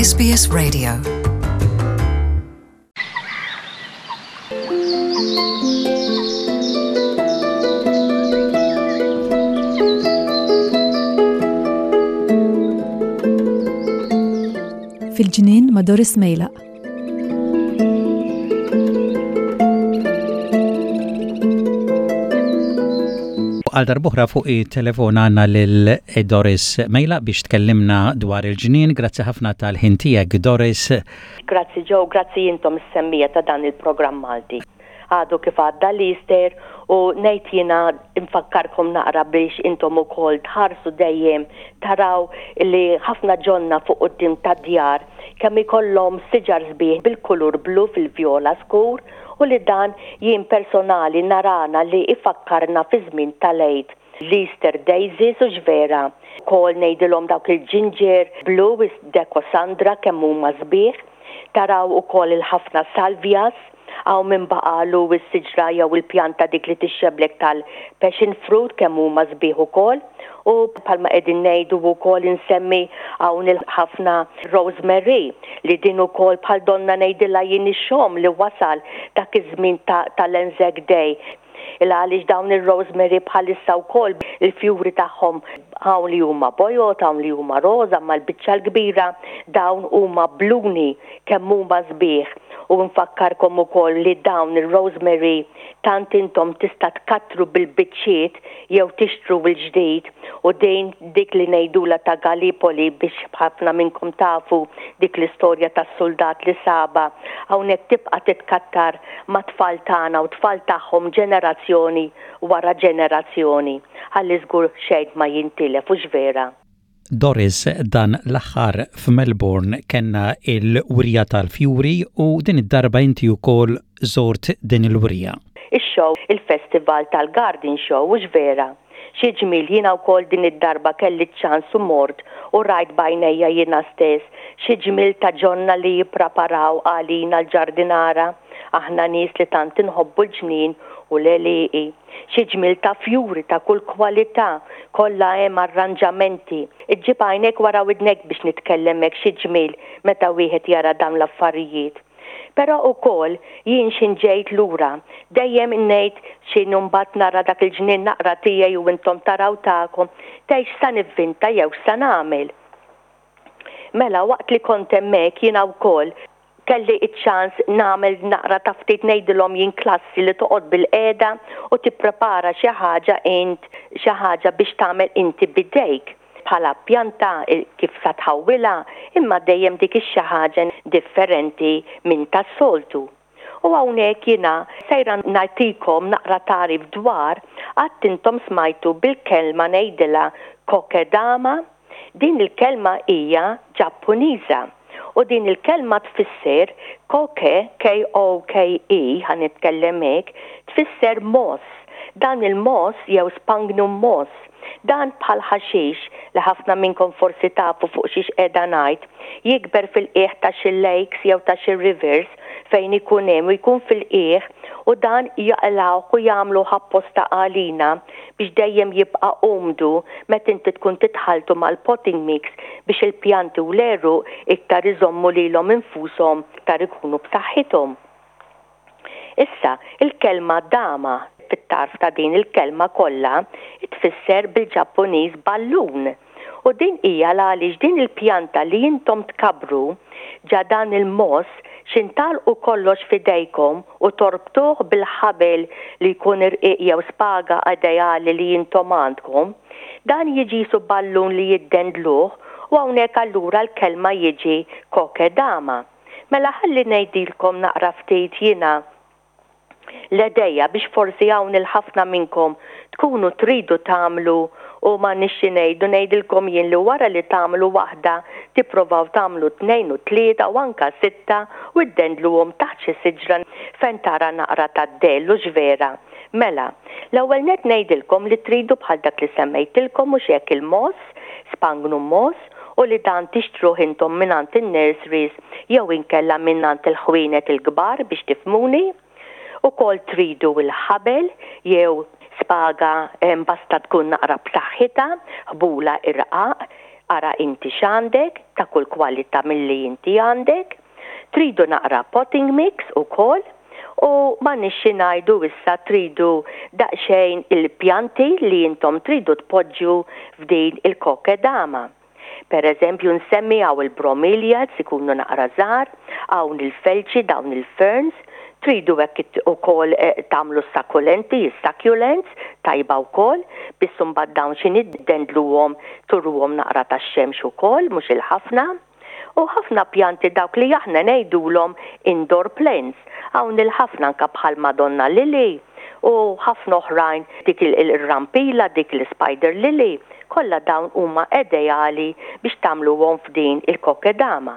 SBS Radio. Fil-ġnien ma' Doris Mejlaq. Għal darbohra fuq it-telefon għandna lil Doris Mejla biex tkellimna dwar il-ġnien. Grazzi ħafna tal-ħin tiegħek Doris. Grazzi Joe, grazzi intom is-semmija ta' dan il-programm Malti. Għadu kif għadda l-Easter u ngħid jiena nfakkarkom naqra biex intom ukoll tħarsu dejjem taraw li ħafna ġonna fuq quddiem tad-djar kemm ikollhom siġar sbieħ bil-kulur blu fil-vjola skur u li dan jien personali narana li ifakkarna fi żmien tal-Għid, l-Easter daisies hux vera? Ukoll ngħidilhom dawk il-ginger blu is-decosandra kemm huma sbieħ. Taraw ukoll il-ħafna salvias. Hawn min baqagħlu s-siġra jew il-pjanta dik li tixxeblek tal-passion fruit kemm huma sbieħ ukoll. U bħalma qegħdin ngħidu wkoll insemmi hawn il-ħafna rosemary li din ukoll bħal donna ngħidilha jien ix-xogħom li wasal dak iż-żmien tal-Anzac Day. Il għaliex dawn ir-rosemary bħalissa wkoll il-fjuri tagħhom hawn li huma bojod, hawn li huma roża, imma l-biċċa l-kbira dawn huma bluni kemm huma sbieħ. U nfakkarkom ukoll li dawn ir-rosemary tant intom tista' tkattru bil-biċċiet jew tixtru l-ġdid u din dik li ngħidulha ta' Gallipoli biex ħafna minnkom tafu dik l-istorja tas-suldat li sabha hawnhekk tibqa' titkattar mat-tfal tagħna u t-tfal tagħhom ġenerazzjoni wara ġenerazzjoni ħalli żgur xejn ma jintilef hux vera? Doris, dan l-aħħar f'Melbourne kellna l-wirja tal-fjuri u din id-darba inti wkoll żort din il-wirja. Ix-show, il-festival tal-garden show hux vera? Xi ġmiel jiena wkoll din id-darba kelli ċ-ċans u mort u rajt b'għajnejja jiena stess xi ġmiel ta' ġonna li jippraparaw għalina l-ġardinara, aħna nies li tant inħobbu l-ġnien u l-għelieqi. Xi ġmiel ta' fjuri ta' kull kwalità, kollha hemm arranġamenti. Iġġib għajnejk wara widnejk biex nitkellem hekk xi ġmiel meta wieħed jara dawn l-affarijiet. Però ukoll jien x'in ġejt lura, dejjem ngħid x'in imbagħad nara dak il-ġnien naqra tiegħi u intom taraw tagħkom, tgħid x'sa nivvinta jew x'sa nagħmel. Mela waqt li kont hemmhekk jiena wkoll Kelli ċ-ċans nagħmel naqra ta' ftit ngħidilhom jien klassi li toqgħod bilqiegħda u tipprepara xi ħaġa int, xi ħaġa biex tagħmel inti b'idejk. Bħala pjanta kif sa tħawwilha, imma dejjem dik ix-xi ħaġa differenti minn tas-soltu. U hawnhekk jiena sejra nagħtikom naqra tagħrif dwar, qatt intom smajtu bil-kelma ngħidilha kokedama? Din il-kelma hija Ġappuniża u din il-kelma tfisser koke, K-O-K-E, ħa nitkellem hekk, tfisser moss. Dan il-moss jew spangnum moss, dan bħal ħaxix li ħafna minnkom forsi tafu fuq xiex qiegħda ngħid, jikber fil-qiegħ ta' xi lakes jew ta' xi rivers fejn ikun hemm u jkun fil-qiegħ u dan jaqilgħuh u jagħmluh apposta għalina biex dejjem jibqa' umdu meta inti tkun titħalltu mal-potting mix biex il-pjanti u l-għeruq iktar iżommu lilhom infushom iktar ikunu b'saħħithom. Issa, il-kelma dama fit-tarf ta' din il-kelma kollha tfisser bil-Ġappuniż ballun. U din hija l-għaliex din il-pjanta li intom tkabbru ġa dan il-moss x'intgħalqu kollox f'idejkom u torbtuh bil-ħabel li jkun irqiq jew spaga ideali li intom għandkom, dan jiġi qisu ballun li jiddendluh u hawnhekk allura l-kelma jiġi kokedama. Mela ħalli ngħidilkom naqra ftit jiena l-għedejja biex forsi hawn il-ħafna minnkom tkunu tridu tagħmlu u m'għandniex xi ngħidu ngħidilkom jien li wara li tagħmlu waħda tipprovaw tagħmlu tnejn u tlieta u anka sitta u ddendluhom taħt xi siġra fejn tara naqra tad-dell hux vera? Mela, l-ewwel nett ngħidilkom li tridu bħal dak li semmejtilkom mhux hekk il-moss, spangnum moss, u li dan tixtruh intom mingħand in-nurseries jew inkella mingħand il-ħwienet il-kbar biex tifhmuni. Ukoll tridu l-ħabel jew spaga basta tkun naqra b'saħħitha, ħbula irqaq. Ara inti x'għandek, ta' kull kwalità milli inti għandek. Tridu naqra potting mix ukoll u m'għandniex xi ngħidu issa tridu daqsxejn il-pjanti li intom tridu tpoġġu f'din il-kokedama. Per eżempju nsemmi hawn il-bromeliads ikunu naqra żgħar, hawn il-felċi dawn il-ferns, tridu hekk ukoll tagħmlu s-sakulenti, is-succulents, tajba wkoll, biss imbagħad dawn xi niddendluhom turuhom naqra tax-xemx ukoll, mhux il-ħafna. U ħafna pjanti dawk li aħna ngħidulhom indoor plants. Hawn il-ħafna anke bħal Madonna Lily u ħafna oħrajn dik ir-rampila, dik l-spider lily, kollha dawn huma edeali biex tagħmluhom f'din il-kokedama.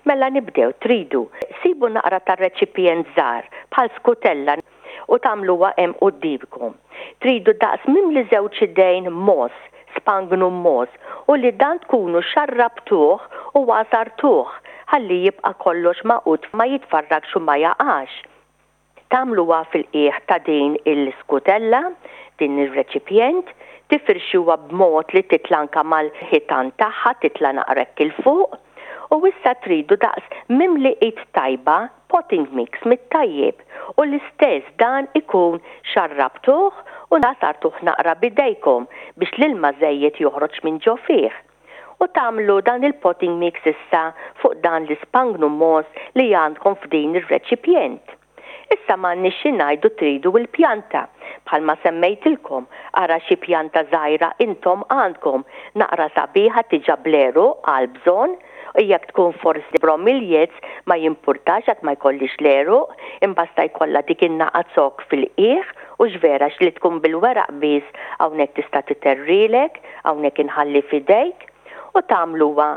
Mela nibdew, tridu sibu naqra ta' reċipjent żgħar bħal skutella u tagħmluha hemm quddiemkom. Tridu daqs mimli żewġ idejn mogħoż, spangnu mogħoż, u li dan tkunu xarrabtuh u għasartuh ħalli jibqa' kollox magħqud ma jitfarrakx u ma jaqax. Tagħmluha fil-qiegħ ta' din il-skutella, din ir-reċipjent, tifirxuha b'mod li titla' anke mal-ħitan tagħha, titla' naqra hekk 'il fuq, u issa tridu daqs mimli id tajba potting mix mit-tajjeb u l-istess dan ikun xarrabtuh u għasartuh naqra b'idejkom biex l-ilma żejjed joħroġ minn ġo fih. U tagħmlu dan il-potting mix issa fuq dan l-ispangnu mogħoż li għandkom f'din ir-reċipjent. Issa m'għandniex xi ngħidu tridu l-pjanta. Bħalma semmejtilkom, ara xi pjanta żgħira intom għandkom, naqra sabiħa tiġa bl-għeruq għall-bżonn, u jekk tkun forsi bromeliads ma jimpurtax jekk ma jkollhiex l-għeruq, imbasta jkollha dik in-naqa zokk fil-qiegħ, hux vera għax li tkun bil-weraq biss hawnhekk tista' titerrilek. Hawnhekk inħalli f'idejk u tagħmluha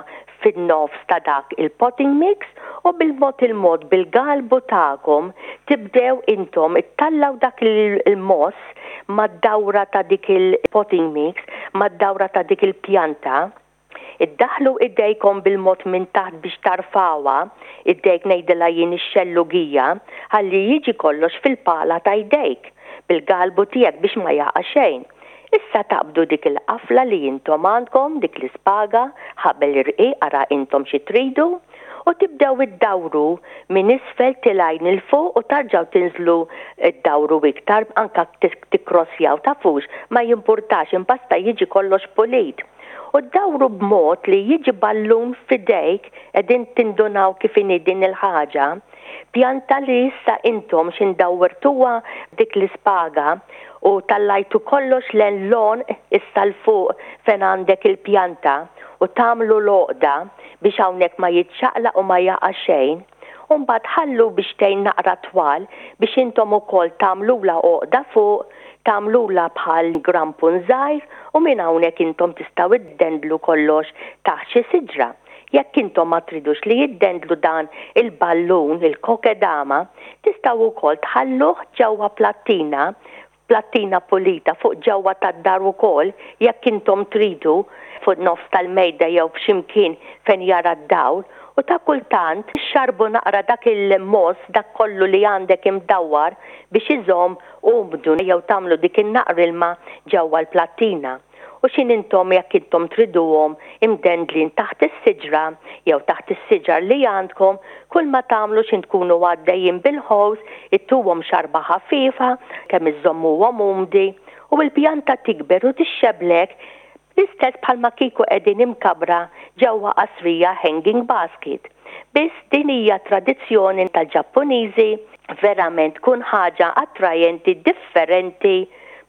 fin-nofs ta' dak il-potting mix u bil-mod il-mod bil-galbu tagħkom tibdew intom ittallgħu dak il-moss mad-dawra ta' dik il-potting mix, mad-dawra ta' dik il-pjanta. Iddaħħlu idejkom bil-mod minn taħt biex tarfgħuha, idejk ngħidilha jien ix-xellugija, ħalli jiġi kollox fil-pala ta' jdejk, bil-galbu tiegħek biex ma jaqa' xejn. Issa taqbdu dik il-qafla li intom għandkom, dik l-ispaga, ħabel irqiq, ara intom xi tridu, u tibdew iddawru minn isfel tilgħin 'il fuq u tarġgħu tinżlu ddawru iktar anke tikkrossjaw tafux, ma jimpurtax imbasta jiġi kollox pulit. U ddawru b'mod li jiġi ballun f'idejk, qegħdin tindunaw kif inhi din il-ħaġa, Pjanta li issa intom x'in dawwertuha b'dik l-ispaga u tallajtu kollox len l-għonq issa 'l fuq fejn għandek il-pjanta u tagħmlu l-għoqda biex hawnhekk ma jiċċaqlaq u ma jaqa' xejn u mbagħad ħallu biex tgħin naqra twal biex intom ukoll tagħmlulha għoqda fuq tagħmlulha bħal grampun żgħir u minn hawnhekk intom tistgħu iddendlu kollox taħt xi siġra. Jekk intom ma tridux li jiddendlu dan il-ballun, il-kokedama, tistgħu wkoll tħalluh ġewwa plattina, plattina pulita fuq ġewwa tad-dar ukoll, jekk intom tridu, fuq nofs tal-mejda jew f'xi mkien fejn jara d-dawl, u ta' kultant xxarrbu naqra dak il-moss, dak kollu li għandek imdawwar biex iżomm umdu jew tagħmlu dik in-naqra ilma ġewwa l-plattina. U x'in intom jekk intom triduhom imdendlin taħt is-siġra jew taħt is-siġar li għandkom, kulma tagħmlu x'in tkunu għaddejjin bil-ħows ittuhom xarba ħafifa kemm iżżommuhom umdi u l-pjanta tikber u tixxeblek l-istess bħalma kieku qegħdin imkabbra ġewwa qasrija hanging basket. Biss din hija tradizzjoni tal-Ġappuniżi verament tkun ħaġa attrajenti differenti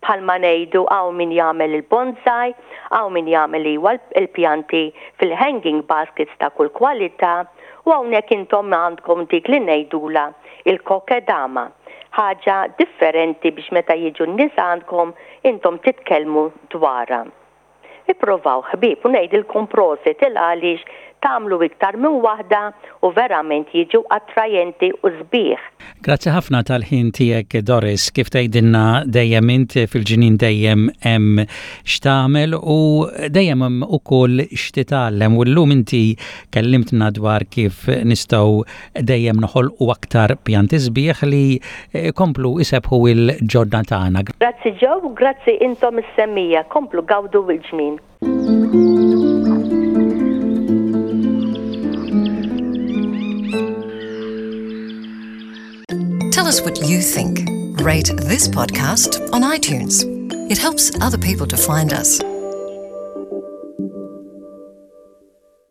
Bħalma ngħidu hawn min jagħmel il-bonsai, hawn min jagħmel iwa l-pjanti fil-hanging baskets ta' kull kwalità u hawnhekk intom għandkom dik li ngħidulha il-kokedama. Ħaġa differenti biex meta jiġu n-nies għandkom intom titkellmu dwarha. Ipprovaw ħbieb u ngħidilkom prosit il għaliex tagħmlu iktar minn waħda u verament jiġu attrajenti u sbieħ. Grazzi ħafna tal-ħin tiegħek Doris, kif tgħidilna dejjem int fil-ġnien dejjem hemm x'tagħmel u dejjem hemm ukoll x'titgħallem u llum inti kellimtna dwar kif nistgħu dejjem noħolqu aktar pjanti sbieħ li jkomplu jsebbħu l-ġonna tagħna. Grazzi Joe u grazzi intom is-semmiegħa, komplu gawdu l-ġnien. Tell us what you think. Rate this podcast on iTunes. It helps other people to find us.